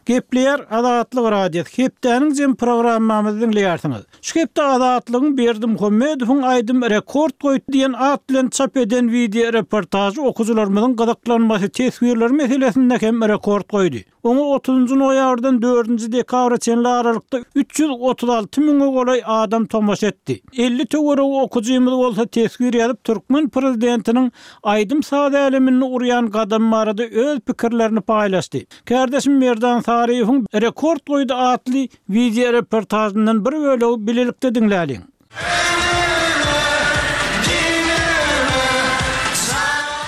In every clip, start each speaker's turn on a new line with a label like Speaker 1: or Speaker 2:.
Speaker 1: Gepleýär Azatlyk Radiosy, Hepdäniň jemi programmamyzy diňleýärsiňiz. Şu hepde Azatlygyň Berdimuhamedowyň aýdym rekord goýdy diýen at bilen çap eden wideoreportažy okyjylarymyzyň gyzyklanmasy, teswirleri meselesinde hem rekord goýdy. Oňa otuzynjy noýabrdan dördünji dekabra çenli aralykda 336 müňe golaý adam tomaşa etdi. 50 töweregi okyjymyz bolsa teswir ýazyp, türkmen prezidentiniň aýdym-saz äleminde urýan gadamy barada öz pikirlerini paýlaşdy. Kärdeşim Merdan Saryýewiň Rekord goýdy atly wideoreportažyndan bir bölegi bilelikde diňläliň.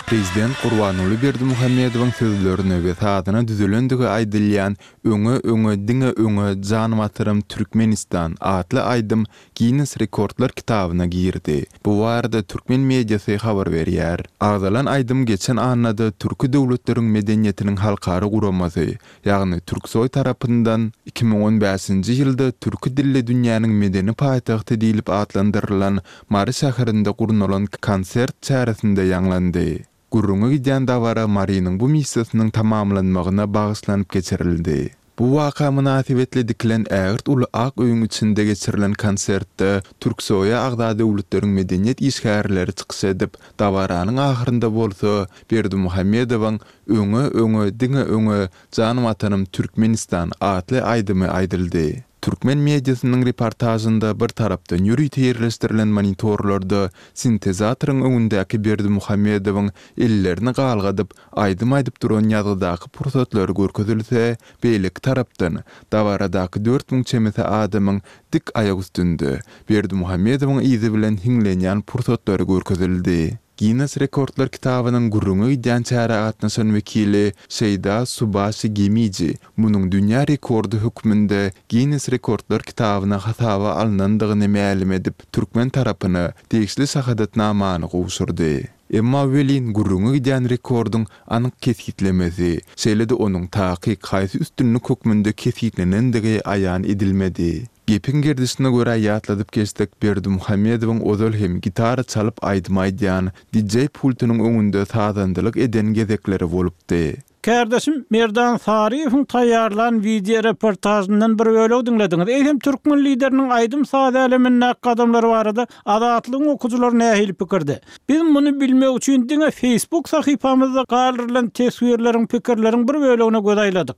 Speaker 2: Prezident Gurbanguly Berdimuhamedowyň sözlerine we sazyna düzülendigi aýdylýan Öňe, öňe, diňe öňe, jan Watanym Türkmenistan atly aýdym Ginnes rekordlar kitabyna girdi. Bu barada türkmen mediasy habar berýär. Agzalan aýdym geçen annada Türki döwletleriň medeniýetiniň halkara guramasy, ýagny Türksoý tarapyndan 2015-nji ýylda türki dilli dünýäniň medeni paýtagty diýlip atlandyrylan Mary şäherinde gurnalan konsert çäresinde ýaňlandy. Gürrüňi gidýän dabara Marynyň bu missiýasynyň tamamlanmagyna bagyşlanyp geçirildi. Bu waka mynasybetli dikilen ägirt uly ak öýüň içinde geçirilen konsertde Türksoýa agza döwletleriň medeniýet işgärleri çykyş edip, dabaranyň ahyrynda bolsa Berdimuhamedowyň Öňe, öňe, diňe öňe, jan Watanym Türkmenistan atly aýdymy aýdyldy. Türkmen mediasynyň reportažynda bir tarapdan ýörite ýerleşdirilen monitorlarda sintezatoryň öňündäki Berdimuhamedowyň ellerini galgadyp, aýdym aýdyp duran ýazgydaky pursatlary görkezilse, beýleki tarapdan, dabaradaky 4000 çemesi adamyň dik aýak üstünde, Berdimuhamedowyň yzy bilen hiňlenýän pursatlary görkezildi. Ginnes rekordlar kitabynyň gürrüňi gidýän çärä gatnaşan wekili Şeýda Subaşi Gemiji munuň dünýä rekordy hökmünde Ginnes rekordlar kitabyna hasaba alnandygyny mälim edip, türkmen tarapyna degişli şahadatnamany gowşurdy. Emma welin gürrüňi gidýän rekordyň anyk kesgitlemesi, şeýle-de onuň takyk haýsy üstünlik hökmünde kesgitlenendigi aýan edilmedi. Gepiň gerdişine görä ýatladyp geçsek Berdimuhamedowyň ozal hem gitara çalyp aýdym aýdýan, DJ pultunyň öňünde sazandalyk eden gezekleri bolupdy.
Speaker 1: Kärdeşim Merdan Saryýewiň taýýarlan wideoreportažyndan bir bölegi diňlediňiz. Eýsem türkmen Lideriniň aýdym-saz älemindäki gadamlary barada Azatlygyň okyjylary nähili pikirde? Biz muny bilmek üçin diňe Facebook sahypamyzda galdyrylan teswirleriň, pikirleriň bir bölegine göz aýladyk.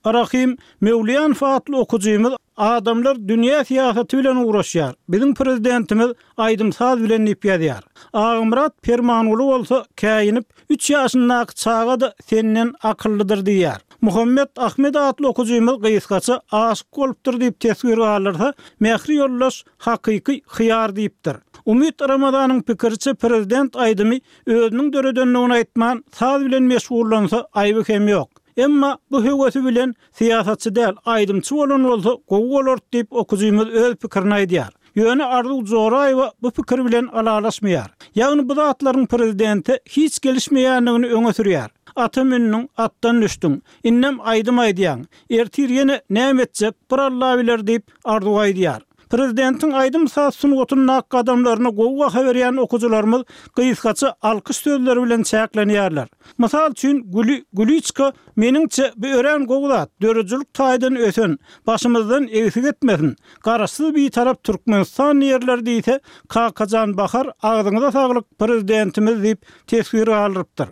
Speaker 1: Rahym Möwliýanow atly okyjymyz Adamlar dünýä syýasaty bilen ugraşýar, biziň prezidentimiz aýdym-saz bilen diýip ýazýar. Agamyrat Permanguly bolsa käýinip, Üç ýaşyndaky çaga-da senden akyllydyr diýýär. Muhammet Ahmet atly okyjymyz gysgaça Aşyk bolupdyr diýip teswir galdyrsa, Mähri ýoldaş Hakyky hyýar diýipdir. Umyt Ramazanyň pikiriçe prezident aýdymy özüniň döredendigini aýtman, saz bilen meşgullansa aýby hem ýok. Emma bu höwesi bilen syýasatçy däl, aýdymçy bolan bolsa gowy bolardy diýip okyjymyz öz pikirini aýdýar. Ýöne Arzuw Joraýewa bu pikir bilen ylalaşmaýar. Ýagny bu zatlaryň prezidente hiç gelişmeýändigini öňe sürýär. Ata mündüň, atdan düşdüň. Indem aýdym aýdýaň. Ertir ýene näme etjek, bir Alla biler diýip, Arzuw aýdýar. Prezidentiň aýdym-saz sungatyndaky gadamlaryna gowy baha berýän okyjylarymyz gysgaça alkyş sözleri bilen çäklenýärler. Mysal üçin, Güli Güliçka Meniňçe, bu örän gowy zat, döredijilik taýdan ösen, başymyzdan egsik etmesin, Garaşsyz Bitarap Türkmenistan diýerler diýse, Kakajan Bahar agzyňyza saglyk Prezidentimiz diýip teswir galdyrypdyr.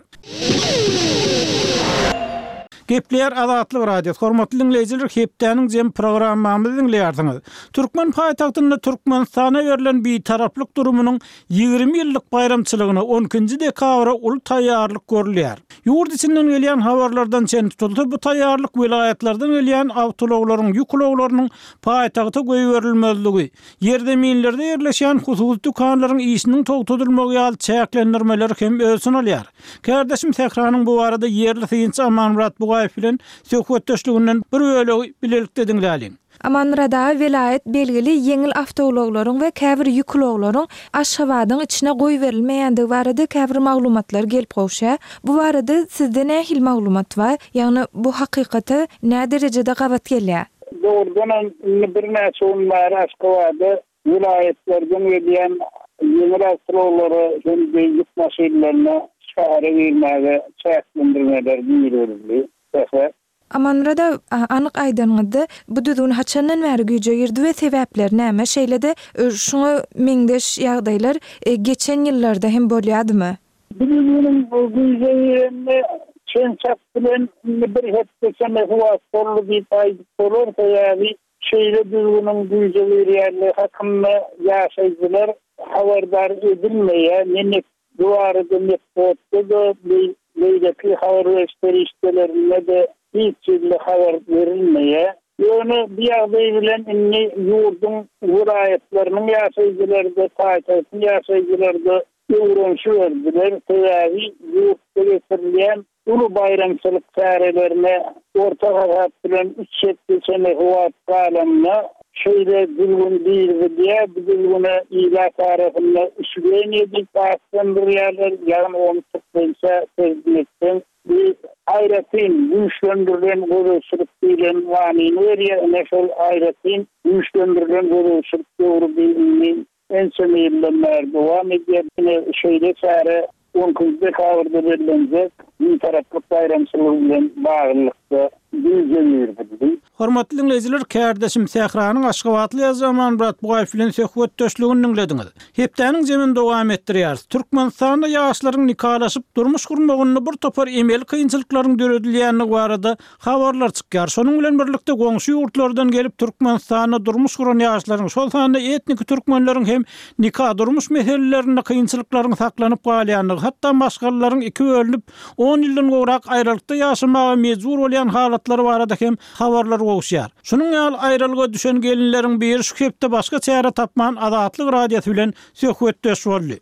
Speaker 1: Gepleýär Azatlyk Radiosy, hormatly diňleýjiler hepdäniň jemi programmamyzy diňleýärsiňiz. Türkmen paýtagtynda Türkmenistana berlen Bitaraplyk durumynyň 20 ýyllyk baýramçylygyna on ikinji dekabra uly taýýarlyk görülýär. Ýurt içinden gelýän habarlardan çen tutulsa, bu taýýarlyk welaýatlardan gelýän awtoulaglaryň, ýük ulaglarynyň paýtagta goýberilmezligi, ýerzeminlerde ýerleşýän hususy dükanlaryň işiniň togtadylmagy ýaly çäklendirmeleri hem öz içine alýar. Kärdeşim Sähranyň bu barada ýerli synçy Amanmyrat Bugaýew bilen söhbetdeşliginden bir bölegi bilelikde diňläliň.
Speaker 3: Amanmyrat aga welaýat belgili ýeňil awtoulaglaryň we käbir ýük ulaglaryň Aşgabadyň içine goýberilmeýändigi barada käbir maglumatlar gelip gowşýar. Bu barada sizde nähili maglumat bar? Ýagny bu hakykata näderejede gabat gelýär?
Speaker 4: Dogrudanam, indi birnäçe gün bäri Aşgabada welaýatlardan gelýän ýeňil awtoulaglara hem-de ýük maşynlaryna şähere girmäge çäklendirmeler girizildi. Sähra.
Speaker 3: Amanmyrat aga, anyk aýdanyňyzda, bu düzgün haçandan bäri güýje girdi we sebäpleri näme? Şeýle-de, şuňa meňzeş ýagdaýlar geçen ýyllarda hem bolýadymy?
Speaker 4: Bu düzgüniň güýje girenine çen-çak bilen indi bir hepde çemesi wagt boldy diýip aýdyp bolar, sebäbi şeýle düzgüniň güýje girýänligi hakynda ýaşaýjylar habardar edilmeýär, ne Bu barada metbugatda-da, beýleki habar beriş serişdelerinde-de hiç hili habar berilmeýär. Ýöne bu ýagdaý bilen indi ýurduň welaýatlarynyň ýaşaýjylary-da, paýtagtyň ýaşaýjylary-da öwrenişiberdiler. Sebäbi ýurtda geçirilýän Uly baýramçylyk çärelerine orta hasap bilen üç hepde çemesi wagt galanda, şeýle düzgün girizilýär. Bu düzgüne ilat arasynda üçgeniýe diýip atlandyrýarlar, ýagny ony türkmençä terjime etseň, bu aýratyn güýçlendirilen gözegçilik diýlen manyny berýär. Ine, şol aýratyn güýçlendirilen gözegçilik döwri bi indi ençeme ýyldan bäri dowam edýär. Ine, şeýle çäre on ikinji dekabrda bellenjek Bitaraplyk baýramçylygy bilen baglylykda güýje girizildi.
Speaker 1: Hormatly diňleýjiler, kärdeşim Sähranyň aşgabatly ýazyjy Amanmyrat Bugaýew bilen söhbetdeşligini diňlediňiz. Hepdäniň jemini dowam etdirýäris. Türkmenistanda ýaşlaryň nikalaşyp, durmuş gurmagynda bir topar emeli kynçylyklaryň döredilýändigi barada Habarlar çykýar. Şonuň bilen birlikde goňşy ýurtlardan gelip Türkmenistanda durmuş guran ýaşlaryň, şol sanda etniki türkmenleriň hem nika-durmuş meselelerinde kynçylyklaryň saklanyp galýandygy, hatda maşgalalaryň iki bölünip, on ýyldan gowrak aýralykda ýaşamaga mejbur bolýan halatlary barada hem habarlar gowuşýar. Şunuň ýaly aýralyga düşen gelinleriň biri şu hepde başga çäre tapman Azatlyk Radiosy bilen söhbetdeş boldy.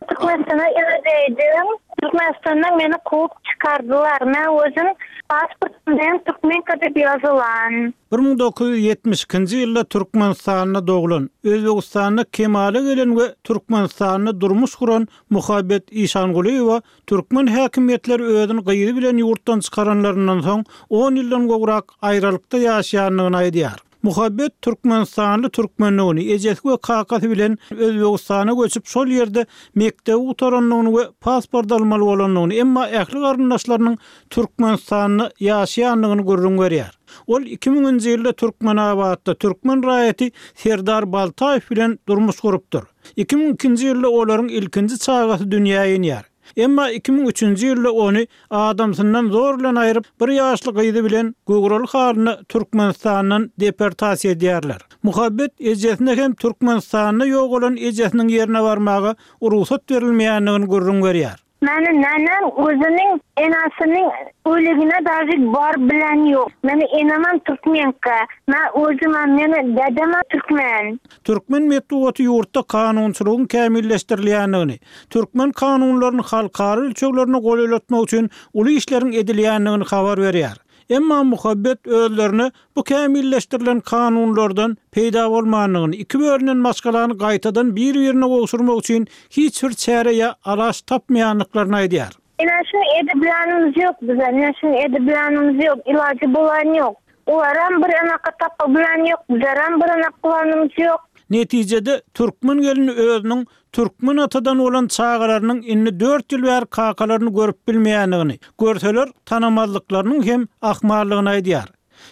Speaker 5: Türkmenistana ibereýdim. Türkmenistandan meni kowup çykardylar. Men özüm pasportym bilen türkmenka diýip ýazylan.
Speaker 1: 1972-nji ýylda Türkmenistanda doglan, Özbegistanda kemala gelen we Türkmenistanda durmuş guran Muhabbet Işangulyýewa türkmen häkimiýetleri özüni gyzy bilen ýurtdan çykaranlaryndan soň on ýyldan gowrak aýralykda ýaşaýandygyny aýdýar. Muhabbet türkmenistanly türkmendigini, ejesi we kakasy bilen Özbegistana göçüp, şol ýerde mekdebi gutarandygyny we pasport almaly bolandygyny, emma ähli garyndaşlarynyň Türkmenistanda ýaşaýandygyny gürrüň berýär. Ol iki müňünji ýylda Türkmenabatda türkmen raýaty Serdar Baltaýew bilen durmuş gurupdyr. 2002-nji ýylda olaryň ilkinji çagasy dünýä inýär. Emma 2003-nji ýylda ony adamsyndan zor bilen aýryp, bir ýaşly gyzy bilen göwreli halyna Türkmenistandan deportasiýa edýärler. Muhabbet ejesine hem Türkmenistanda ýogalan ejesiniň ýerine barmaga rugsat berilmeýändigini gürrüň berýär.
Speaker 5: Meni nenem özüniň enasiniň öligine daži baryp bilen ýok. Meni enemem türkmenka. Men özümem meni dedemem türkmen.
Speaker 1: Türkmen metbugaty ýurtda kanunçylygyň kämilleşdirilýändigini, türkmen kanunlaryny halkara ölçeglerine golaýlatmak üçin uly işleriň edilýändigini habar berýär. Emma Muhabbet özlerine bu kämilleşdirilen kanunlardan peýda bolmandygyny, iki bölünen maşgalany gaýtadan bir-birine gowşurmak üçin hiç bir çäre ýa alaç tapmaýandyklaryny aýdýar.
Speaker 5: Ine şuny edibilenimiz ýok bize, ine şuny edibilenimiz ýok, ilajy bolan ýok. Olaram bir anaka tapa bilen ýok, bizlerem bir anak kylanymyz ýok.
Speaker 1: Netijede, türkmen gelni özüniň türkmen atadan bolan çagalarynyň indi dört ýyl bäri kakalaryny görüp bilmeýändigini, görseler tanamazlyklarynyň hem ahmaldygyny aýdýar.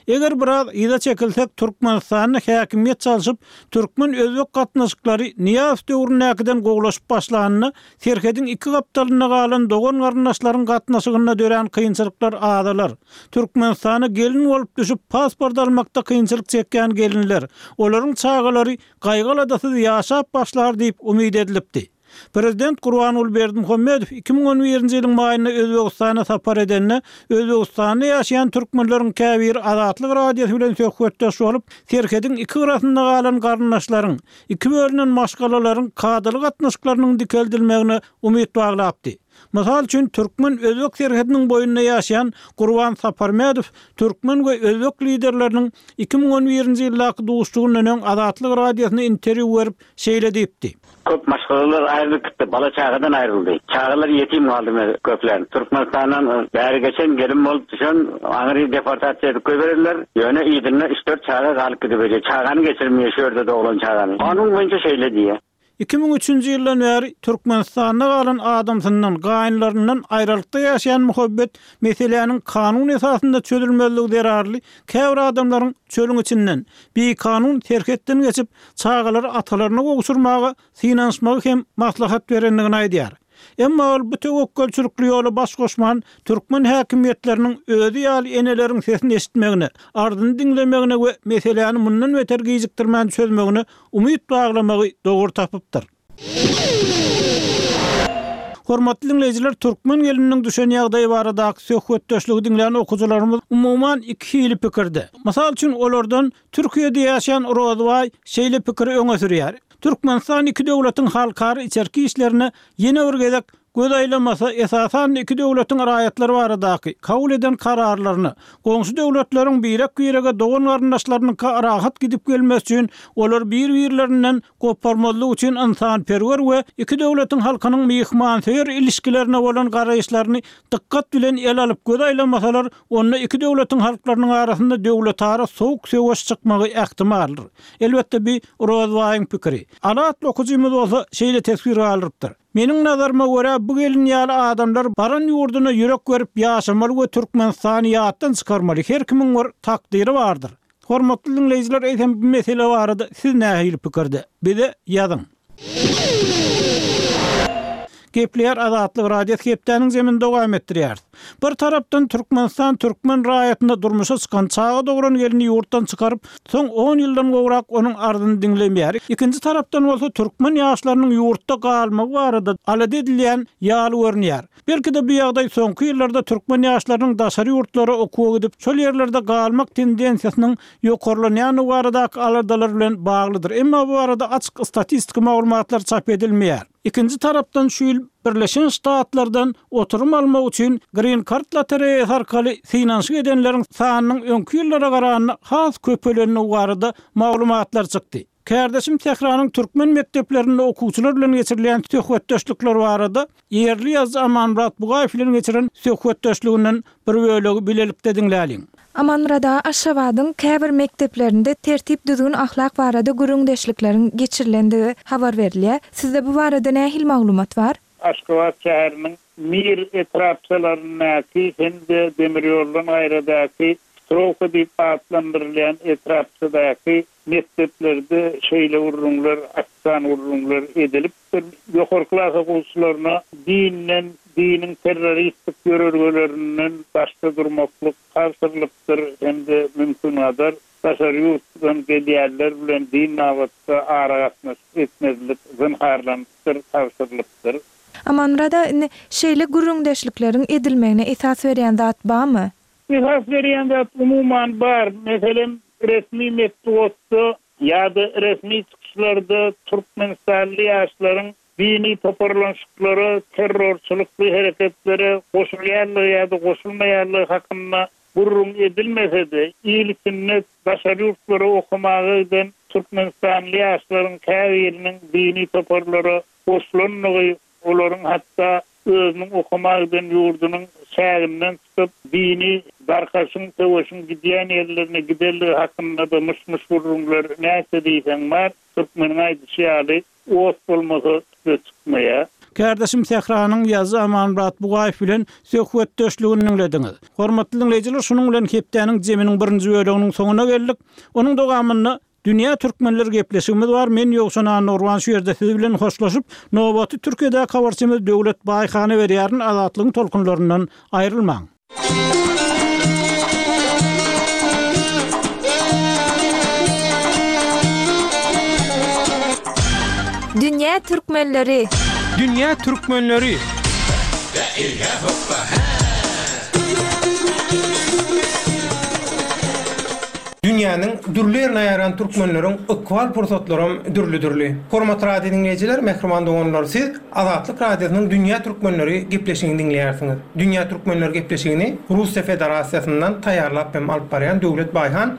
Speaker 1: Eger biraz yza çekilsek, Türkmenistanda häkimiýet çalşyp, türkmen-özbek gatnaşyklary Nyýazow döwründäkiden gowulaşyp başlanynda, serhediň iki gapdalynda galan dogan-garyndaşlaryň gatnaşygynda dörän kynçylyklar azalar. Türkmenistana gelin bolup düşüp, pasport almakda kynçylyk çekýän gelinler, olaryň çagalary gaýgy-aladasyz ýaşap başlar diýip umyt edilipdi. Prezident Gurbanguly Berdimuhamedow 2011-nji ýylyň maýynda Özbegistana sapar edende, Özbegistanda ýaşaýan türkmenleriň käbiri Azatlyk Radiosy bilen söhbetdeş bolup, serhediň iki gyrasynda galan garyndaşlaryň, iki bölünen maşgalalaryň kadaly gatnaşyklarynyň dikeldilmegine umyt baglapdy. Mysal üçin, türkmen-özbek serhediniň boýunda ýaşaýan Gurban Saparmedow türkmen we özbek liderleriniň 2011-nji ýyldaky duşuşygyndan öň Azatlyk Radiosyna interwýu berip, şeýle diýipdi.
Speaker 6: Köp maşgalalar aýrylyp gitdi, bala-çagadan aýryldy. Çagalar ýetim galdy köpler. Türkmenistandan bäri geçen, gelin bolup düşen, aňry deportasiýa edip goýberdiler. Ýöne yzynda üç-dört çaga galyp gidiberýär. Çagany geçirmeýär şu ýerde doglan çagany. Kanun boýunça şeýle diýýär.
Speaker 1: 2003-nji ýyldan bäri Türkmenistanda galan adamsyndan, gaýynlaryndan aýralykda ýaşaýan Muhabbet meseläniň kanun esasynda çözülmezligi zerarly käbir adamlaryň çölüň içinden, bikanun serhetden geçip, çagalary atalaryna gowşurmaga synanyşmagy hem maslahat berendigini aýdýar. Emma ol bu töwekgelçilikli ýola baş goşman, türkmen häkimiýetleriniň özi ýaly eneleriň sesini eşitmegine, arzyny diňlemegine we meseläni mundan beter gijikdirmän çözmegine umyt baglamagy dogry tapypdyr. Hormatly diňleýjiler, türkmen gelininiň düşen ýagdaýy baradaky söhbetdeşligi diňlän okyjylarymyz umuman iki hili pikirde. Mysal üçin, olardan Türkiýede ýaşaýan Rozbaý şeýle pikiri öňe sürýär, Türkmenistan iki döwletiň halkara içerki işlerine ýene bir gezek göz aýlamasa, esasan-da iki döwletiň raýatlary baradaky kabul eden kararlaryna, goňşy döwletleriň birek-birege dogan-garyndaşlarynyňka rahat gidip gelmesi üçin olary bir-birlerinden goparmazlyk üçin ynsanperwer we iki döwletiň halkynyň myhmansöýer ilişkilerine bolan garaýyşlaryny dykgat bilen ele alyp göz aýlamasalar, onda iki döwletiň halklarynyň arasynda döwletara sowuk söweş çykmagy ähtimaldyr. Elbetde bi Rozbaýyň pikiri. Ala atly okyjymyz bolsa şeýle teswir galdyrypdyr. Meniň nazaryma görä bu gelin ýaly adamlar baran ýurduna ýürek berip ýaşamaly we Türkmenistany ýatdan çykarmaly her kimiň bir takdyry bardyr. Hormatly diňleýjiler eýsem bu mesele barada siz nähili pikirde? Bize ýazyň. Gepleýär Azatlyk Radiosy hepdäniň zemini dowam etdirýäris. Bir tarapdan Türkmenistan türkmen raýatyna durmuşa çykan çaga dogran gelni ýurtdan çykaryp, soň on ýyldan gowrak onuň arzyny diňlemeýär. Ikinji tarapdan bolsa türkmen ýaşlarynyň ýurtda galmagy barada alada edilýän ýaly görünýär. Belki-de bu ýagdaý soňky ýyllarda türkmen ýaşlarynyň daşary ýurtlara okuwa gidip, şol ýerlerde galmak tendensiýasynyň ýokarlanýandygy baradaky aladalar bilen baglydyr. Emma bu barada açyk statistiki maglumatlar çap edilmeýär. Ikinji tarapdan şu ýyl Birleşen Ştatlardan oturym almak üçin Green Card lotereýasy arkaly synanyşyk edenleriň sanynyň öňki ýyllara garanda has köpelendigi barada maglumatlar çykdy. Kärdeşim Tähranyň türkmen mekdeplerinde okuwçylar bilen geçirilýän söhbetdeşlikler barada ýerli ýazyjy Amanmyrat Bugaýew bilen geçiren söhbetdeşliginden bir bölegi bilelikde diňläliň.
Speaker 3: Amanmyrat aga Aşgabadyň käbir mekdeplerinde tertip-düzgün ahlak barada gürrüňdeşlikleriň geçirilendigi habar berilýär. Sizde bu barada nähili maglumat bar?
Speaker 4: Aşgabat şäheriniň Mir etrapçalaryndaky hem-de demir ýoldan gaýradaky Strowka diýip atlandyrylýan etrapçadaky Mekdeplerde şeýle gürrüňler, açan gürrüňler edilipdir. Ýokarky klas okuwçylaryna dinden, diniň terroristik ýörelgelerinden daşda durmaklyk tabşyrylypdyr hem-de mümkingadar daşary ýurtdan gelýänler bilen din babatda aragatnaşyk etmezlik zynharlanypdyr, tabşyrylypdyr.
Speaker 3: Amanmyrat aga, indi şeýle gürrüňdeşlikleriň edilmegine esas berýän zat barmy?
Speaker 4: Esas berýän zat umuman bar. Meselem, resmi metbugatda ýa-da resmi çykyşlarda türkmenistanly ýaşlaryň dini toparlanyşyklara, terrorçylykly hereketlere goşulýanlygy ýa-da goşulmaýanlygy hakynda gürrüň edilmese-de, il içinde daşary ýurtlara okamaga giden türkmenistanly ýaşlaryň käbiriniň dini toparlara goşulandygy Olaryň hatda özüniň okamaga giden ýurdunyň çäginden çykyp, dini darkaşyň, söweşiň gidýän ýerlerine gidenligi hakynda-da myş-myş gürrüňler näçe diýseň bar. Türkmeniň aýdyşy ýaly, ot bolmasa tüsse çykmaýar.
Speaker 1: Kärdeşim Sähranyň ýazyjy Amanmyrat Bugaýew bilen söhbetdeşligini diňlediňiz. Hormatly diňleýjiler, şunuň bilen hepdäniň zeminiň birinji böleginiň soňuna geldik. Onuň dowamynda Dünýä Türkmenleri gepleşigimiz bar men Ýowşan Annagurban şu ýerde siz bilen hoşlaşyp nobaty Türkiýedäki habarçymyz Döwlet Baýhana berýärin Azatlygyň tolkunlaryndan aýrylmaň.
Speaker 3: Dünýä Türkmenleri.
Speaker 7: Dünýä Türkmenleri. Dünýäniň dürli ýerine ýaýran türkmenleriň ykbal pursatlaram dürli-dürli. Hormatly radio diňleýjiler, mähriban doganlar, siz Azatlyk Radiosynyň Dünýä türkmenleri gepleşigini diňleýärsiňiz. Dünýä türkmenleri gepleşigini Russiýa Federasiýasyndan taýýarlap hem alyp barýan Döwlet Baýhan.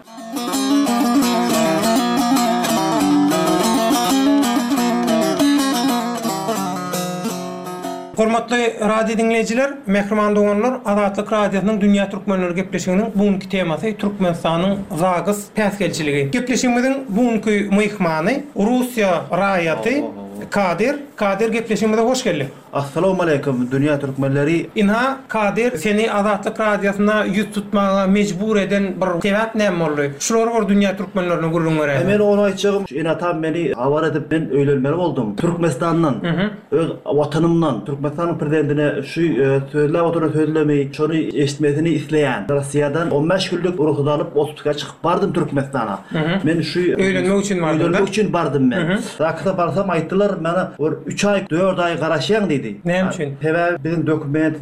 Speaker 7: Hormatly radio diňleýjiler, mähriban doganlar, Azatlyk Radiosynyň Dünýä Türkmenleri gepleşiginiň bu günki temasy Türkmenistanyň ZAGS päsgelçiligi. Gepleşigimiziň bu günki myhmany Russiýa raýaty. Kadyr. Kadyr gepleşigimize hoş geldiň.
Speaker 8: Assalamualeýkum dünýä türkmenleri.
Speaker 7: Ynha, Kadyr, seni Azatlyk Radiosyna ýüz tutmaga mejbur eden bir sebäp näme boldy? Şulary bir dünýä türkmenlerine gürrüň beräýseň.
Speaker 8: Men ony aýtjagym, şu ene-atam meni habar edip men öýlenmeli boldum. Türkmenistandan, öz watanymdan, Türkmenistanyň prezidentine şu sözläp oturan sözlemi, şony eşitmesini isleýän. Rossiýadan 15 günlük rugsat alyp otpuska çykyp bardym Türkmenistana. Men şu
Speaker 7: Öýlenmek üçin bardyň-da?
Speaker 8: Öýlenmek üçin bardym men. Zaksa barsam aýtdylar mana bir üç aý, dört aý garaşýaň diýdi.
Speaker 7: Näme üçin?
Speaker 8: Sebäbi biziň dokument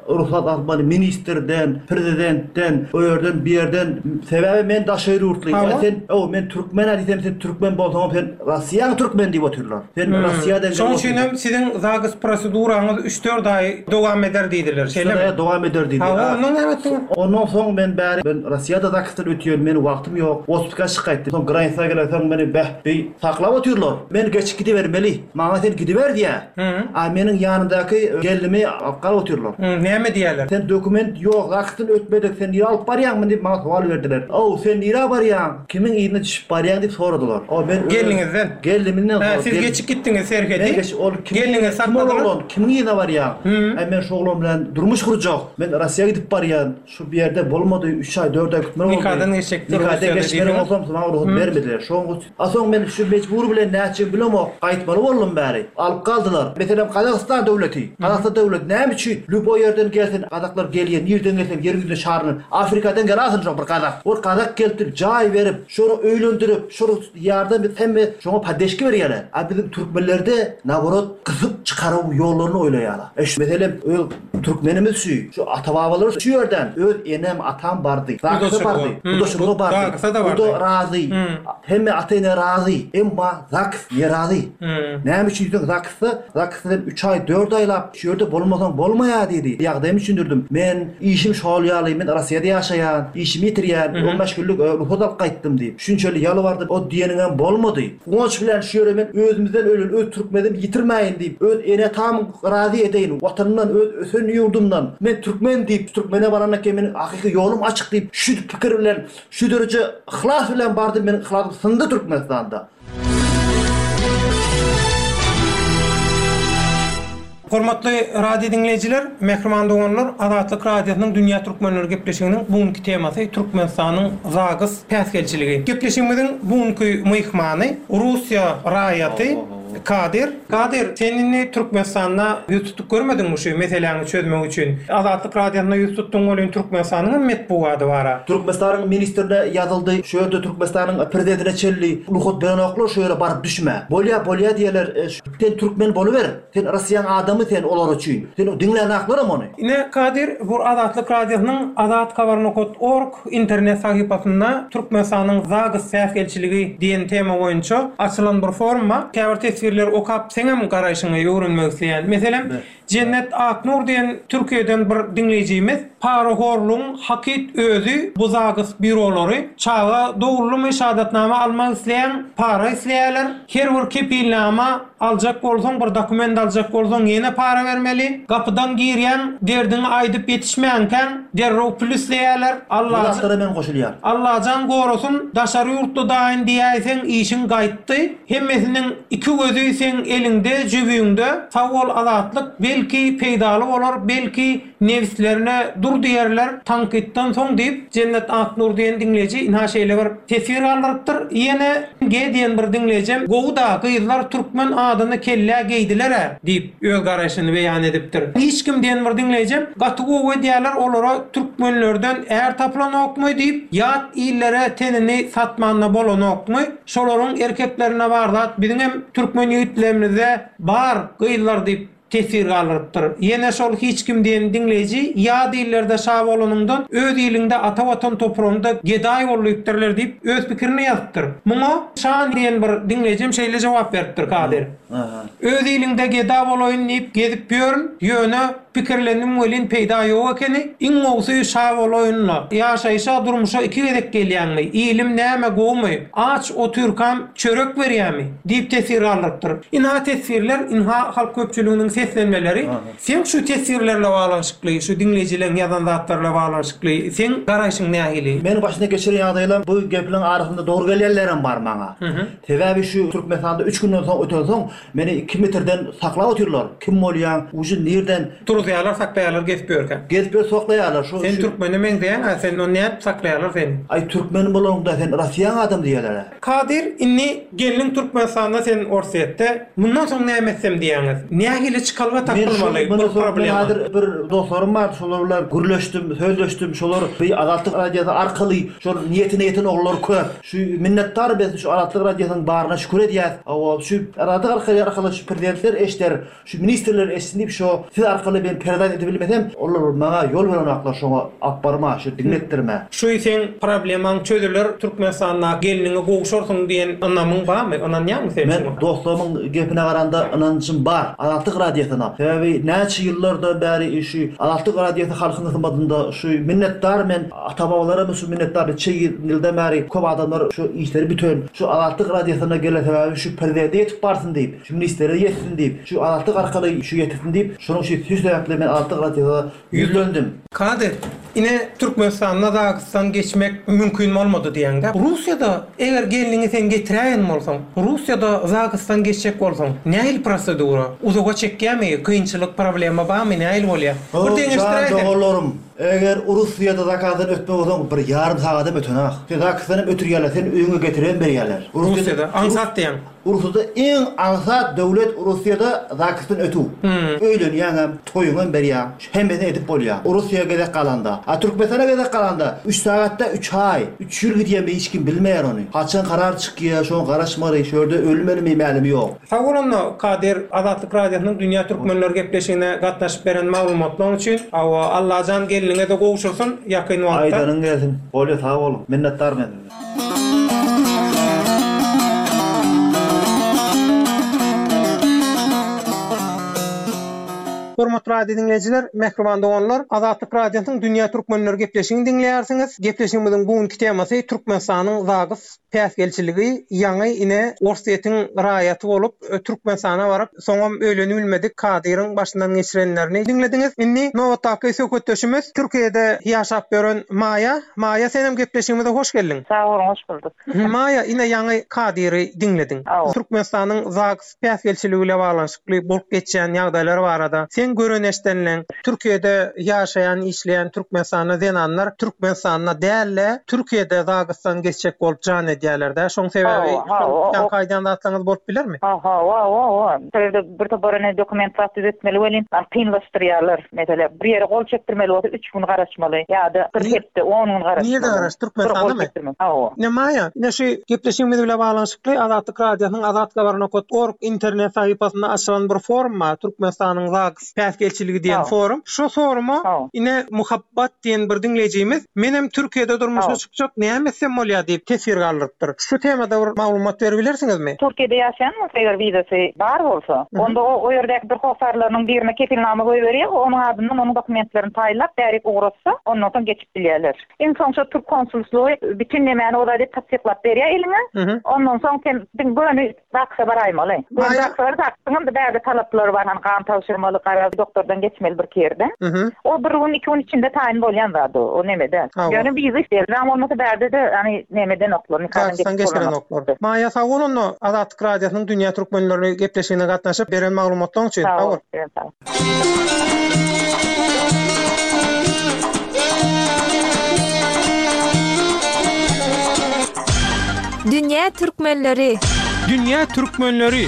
Speaker 8: rugsat almaly ministrden, prezidentden, o ýerden, bu ýerden. Sebäbi men daşary ýurtly.
Speaker 7: Hawa.
Speaker 8: Sen, o men türkmen-ä diýsem sen türkmen bolsaňam sen Rossiýaň türkmeni diýip otyrlar. Sen Rossiýadan
Speaker 7: Şoň üçin hem siziň zags proseduraňyz üç-dört aý dowam eder diýdiler, şeýlemi?
Speaker 8: Üç-dört aý dowam eder diýdi.
Speaker 7: Hawa, ondan näme etdiňiz?
Speaker 8: Ondan soň men bäri men Rossiýada zagsdan ötýän, meniň wagtym ýok. Otpuska çyk gaýtdym. Soň granisä gelensoň meni beh, beý saklap otyrlar. Men geçip gidibermeli. Maňa sen gidiber diýýä. A meniň ýanymdaky gelnimi alyp galyp otyrlar.
Speaker 7: Näme diýýäler?
Speaker 8: Sen dokument ýok, zagsdan ötmedik, sen nirä alyp barýaň muny diýip maňa sowal berdiler. Ow, sen nirä barýaň? Kimiň yzyna düşüp barýaň diýip soradylar. O men
Speaker 7: Gelniňizden.
Speaker 8: Gelnimden
Speaker 7: Hä, siz geçip gitdiňiz serhedi.
Speaker 8: Men geçip, ol kim,
Speaker 7: Gelniňizi
Speaker 8: kim ol
Speaker 7: sakladylar.
Speaker 8: oglan, kimiň yzyna barýaň? Äý men şu oglan bilen durmuş gurjak. Men Rossiýa gidip barýan. Şu bir ýerde bolmady, üç aý, dört aý gitmeli boldy.
Speaker 7: Nikadan geçjekdir
Speaker 8: Nikadan
Speaker 7: Russiýada
Speaker 8: geçmeli
Speaker 7: diýdiňiz.
Speaker 8: bolsam, maňa rugsat bermediler. Şoň üçin, a soň men şu mejbury bilen nätjegimi bilemok, gaýtmaly boldum bäri. Alyp galdylar. Meselem, Gazagystan döwleti. Gazagystan döwleti näme üçin lýuboý ýerden gelsin, gazaklar gelýär, nirden gelseň ýeriň ýüzüne şaryndan, Afrikadan gel-alsyn şo bir gazak. Ol gazak gelip jaý berip, şony öýlendirip, şony ýardam edip hemme şoňa poddeşka berýärler. A biziň türkmenlerde naborot gysyp çykaruw ýollaryny oýlaýarlar. E şu meselem öz türkmenimiz şu, şu ata-babalary şu ýerden öz enem, atam bardy. Zagsa bardy. Gudaçylyga bardy. Guda razy. Hemme ata-ene razy. Emma zaks nerazy. Näme üçin diýseň zaksda, zaksda sen üç aý, dört aýlap Şu ýerde bolmasaň bolmaýar diýdi. Ýagdaýymy düşündirdim. Men işim şol ýaly, men Rossiýada ýaşaýan, işimi ýitirýän, 15 günlük rugsat alyp gaýtdym diýip. Şunçaly ýalbardym, o diýeniňem bolmady. Guwanç bilen şu ýere men özümizden ölen öz türkmenimi ýitirmäýin diýip, öz ene-atamy razy edeýin, watanymdan, öz ösen ýurdumdan, men türkmen diýip, türkmene barandan keyin meniň hakyky ýolum açyk diýip, şu pikir bilen, şu dereje yhlas bilen bardym, meniň yhlasym syndy Türkmenistanda.
Speaker 7: Hormatly radio diňleýjiler, mähriban doganlar, Azatlyk Radiosynyň Dünýä Türkmenleri gepleşiginiň bu günki temasy Türkmenistanyň ZAGS päsgelçiligi. Gepleşigimiziň bu günki myhmany Russiýa raýaty Kadyr. Kadyr, sen indi Türkmenistanda ýüz tutup görmediňmi şu meseläňi çözmek üçin? Azatlyk Radiosyna ýüz tutduň welin Türkmenistanyň hem metbugady bar-a.
Speaker 8: Türkmenistanyň ministrine ýazyldy, şu ýerde Türkmenistanyň prezidentine çenli rugsat berenoklar şu ýere baryp düşme. Bolýa bolýa diýerler, sen türkmen boluber, sen Rossiýaň adamy sen olar üçin. Sen diňlänaklaram ony.
Speaker 7: Ine, Kadyr, bu Azatlyk Radiosynyň Azathabar nokat org internet sahypasynda Türkmenistanyň ZAGS päsgelçiligi diýen tema boýunça açylan bir forum bar. Käbir teswirleri okap seňem garaýşyňy öwrenmek isleýän. Meselem, Jennet Aknur diýen Türkiýeden bir diňleýjimiz Parahorlugyň hakyt özi bu ZAGS býurolary. Çaga doguldymy şahadatnama almak isleýäň para isleýäler. Her bir kepilnama aljak bolsaň bir dokument aljak bolsaň ýene para bermeli. Gapydan girýäň derdiňi aýdyp ýetişmänkäň derrew pul isleýäler.
Speaker 8: Bu zatlara men goşulýan.
Speaker 7: Allajan gorasyn daşary ýurtly daýyn diýäýseň işiň gaýtdy. Hemmesiniň iki gözi seň eliňde jübüňde. Sag bol Azatlyk belki peýdaly bolar belki Nebislerine dur diýerler tankytdan soň diýip, Jennet Aknur diýen diňleýji ynha şeýle bir teswir galdyrypdyr. Ýene G diýen bir diňleýjem Gowy-da, gyzlar türkmen adyny kellä geýdiler-ä diýip, öz garaýşyny beýan edipdir. Hiç kim diýen bir diňleýjem Gaty gowy edýärler, olara türkmenlerden är tapylanokmy diýip, ýat illere tenini satmanda bolanokmy, şolaryň erkeklerinde bar zat biziňem türkmen ýigitlerimizde bar gyzlar diýip, Teswir galdyrypdyr. Ýene şol hiç kim diýen diňleýji ýat illerde şa bolanyňdan öz iliňde ata watan topragyňda gedaý bol diýipdirler diýip öz pikirini ýazypdyr. Muňa Şan diýen bir diňleýjem şeýle jogap beripdir Kadyr. Öz iliňde geda bolaýyn diýip gezip ýörün, ýöne. Pikirlendim welin peýda ýok ekeni. Iň gowusy şa bolaýyn-la. Ýaşaýşa, durmuşa iki gezek gelýäňmi? Ilim näme gowumy? Aç otyrkam çörek berýämi? Diýip teswir galdyrypdyr. Ynha teswirler, ynha halk köpçüliginiň seslenmeleri. Seň şu teswirler bilen baglanyşykly, şu diňleýjileň ýazan zatlary bilen baglanyşykly seň garaýşyň nähili?
Speaker 8: Meniň başyndan geçiren ýagdaýlam bu gepleriň arasynda dogry gelýänlerem bar maňa. Sebäbi şu Türkmenistanda üç günden soň ötensoň meni iki metrden saklap otyrlar. Kim bolýaň, ujy nirden?
Speaker 7: Turuzýarlar, saklaýarlar gezip ýörkäň.
Speaker 8: Gezip ýör saklaýarlar.
Speaker 7: Şu Sen türkmene meňzeýäň-ä, sen ony nädip saklaýarlar seni?
Speaker 8: Aý türkmen bolaňda sen Rossiýaň adamy diýýärler-ä.
Speaker 7: Kadyr, indi gelniň Türkmenistanda sen Orsýetde, mundan soň näme etsem diýýäňiz? Nähili çykalga tapylmaly bu problema?
Speaker 8: Men häzir bir dostlarym bar, şolar bilen gürleşdim, sözleşdim, şolar bir Azatlyk radiosy arkaly şol niýetine ýeten oglanlar köp. Şu minnetdar biz şu Azatlyk radiosynyň baryna şükür edýäs. Hawa, şu Azatlyk arkaly arkaly şu prezidentler eşder, Şu ministrler eşitsin diýip şo siz arkaly men peredat edebilmesem olar maňa ýol berenoklar şoňa alyp barma şu diňletdirme.
Speaker 7: Şu seň problemaň çözüler Türkmenistanda gelniňe gowşarsyň diýen ynamyň barmy ynanýaňmy sen
Speaker 8: Men
Speaker 7: şuňa?
Speaker 8: dostlarymyň gepine garanda ynanjym bar Azatlyk radiosyna sebäbi näçe ýyllardan bäri şu Azatlyk radiosy halkyň hyzmatynda şu minnetdar men ata babalarym şu minnetdar niçe ýyldan bäri köp adamlar şu işleri büten şu Azatlyk radiosyna gelen sebäbi şu prezidente ýetip barsyn diýip Şu ministrlere ýetsin diýip, şu Azatlyk arkaly şu ýetirsin diýip, şonuň üçin şu sebäpli men Azatlyk Radiosyna ýüzlendim.
Speaker 7: Kadyr, ine Türkmenistanda ZAGS-dan geçmek mümkin bolmady diýýäňdä. Russiýada eger gelniňi sen getiräýen bolsaň, Russiýada ZAGS-dan geçjek bolsaň, nähili prosedura? Uzaga çekýämi, kynçylyk, problema barmy, nähili bolýar? Bir
Speaker 8: Jan
Speaker 7: deňeşdiräýseň.
Speaker 8: doganlarym, eger Russiýada zakazdan ötmek bolsaň bir ýarym sagadam ötenok. Sen ZAGS-dan hem ötürýärler, seni öýüňe getiribem berýärler.
Speaker 7: Russiýada aňsat diýýäň.
Speaker 8: Russiýada iň aňsat döwlet Russiýada zagsdan ötüw. Öýlenýäňem, toýuňam berýäň, hemmesini edip bolýa. Russiýa gezek galanda. A Türkmenistana gezek galanda üç sagatda üç aý, üç ýyl gidýärmi hiç kim bilmeýär ony. Haçan karar çykýa şoňa garaşmaly, şu ýerde ölmelimi mälimi ýok.
Speaker 7: Sag bol onda Kadyr Azatlyk Radiosynyň Dünýä Türkmenleri gepleşigine gatnaşyp beren maglumatlaň üçin. Hawa Allajan gelniňede gowşursyn ýakyn wagtda.
Speaker 8: Aýdanyň gelsin. Bolýa sag boluň. Minnetdar men size.
Speaker 7: Hormatly radio diňleýjiler, mähriban doganlar, Azatlyk Radiosynyň Dünýä Türkmenleri gepleşigini diňleýärsiňiz. Gepleşigimiziň bu günki temasy Türkmenistanyň ZAGS päsgelçiligi, ýaňy ine Orsýetiň raýaty bolup Türkmenistana baryp, soňam öýlenibilmedik Kadyryň başyndan geçirenlerini diňlediňiz. Indi nobatdaky söhbetdeşimiz Türkiýede ýaşap ýören Maýa. Maýa senem gepleşigimize hoş geldiň.
Speaker 9: Sag boluň hoş bulduk.
Speaker 7: Maýa ine ýaňy Kadyry diňlediň. Türkmenistanyň ZAGS päsgelçiligi bile baglanyşykly bolup geçýän ýagdaýlar barada seň gören eşdenleň Türkiýede ýaşaýan işleýän Türkmenistanda zenanlar Türkmenistanda dälde Türkiýede ZAGS-dan geçjek bolup jan edýälerdä şoň sebäbi şol aýdýan zatlaryňyz bolup bilermi?
Speaker 9: Hawa hawa. Şol ýerde bir topar ene dokument zat düzetmeli welin kynlaşdyrýarlar. Meselem bir ýere gol çekdirmeli bolsa üç gün garaşmaly ýa-da bir hepde, on gün garaşmaly.
Speaker 7: Nirde garaş, Türkmenistandamy?
Speaker 9: Hawa.
Speaker 7: Ine Maýa, ine şu gepleşigimiz bilen baglanyşykly Azatlyk Radiosynyň azathabar nokat org internet sahypasynda açylan bir forum bar, Türkmenistanyň ZAGS päsgelçiligi diýen forum. Şu foruma ine Muhabbat diýen bir diňleýjimiz Menem Türkiýede durmuşa çykjak, näme etsem bolýar diýip teswir galdyrypdyr. Şu temada bir maglumat berip bilersiňizmi?
Speaker 9: Türkiýede ýaşaýan bolsa eger wizasy bar bolsa, onda o o ýerdäki bir hossarlarynyň birine kepilnama goýberýär, onuň adyndan onuň dokumentlerini taýynlap bärik ugratsa, ondan soň geçip bilýärler. Iň soň şo türk konsulslygy bütin nemäni o zady tassyklap berýär eliňe. Ondan soň sen diň göni Zaksa baraýmaly. Göni zaksa baryp zaksyňam-da bärde talaplary bar, hany gan tabşyrmaly, garaz doktordan geçmeli birki ýerden. O bir gün, iki gün içinde taýyn bolýan zat o, o neme däl. Ýöne wiza isleýär. Wizaň bolmasa bärde-de hany neme edenoklar, nikadan
Speaker 7: Zaksydan
Speaker 9: geçip bolanok.
Speaker 7: geçirenoklar. Maýa sag bol onda Azatlyk Radiosynyň Dünýä Türkmenleri gepleşigine gatnaşyp beren maglumatlaryň üçin.
Speaker 9: Sag
Speaker 7: Sag
Speaker 9: bol.
Speaker 7: bol.
Speaker 9: Sizem sag bol.
Speaker 3: Dünýä türkmenleri!
Speaker 7: Dünýä türkmenleri!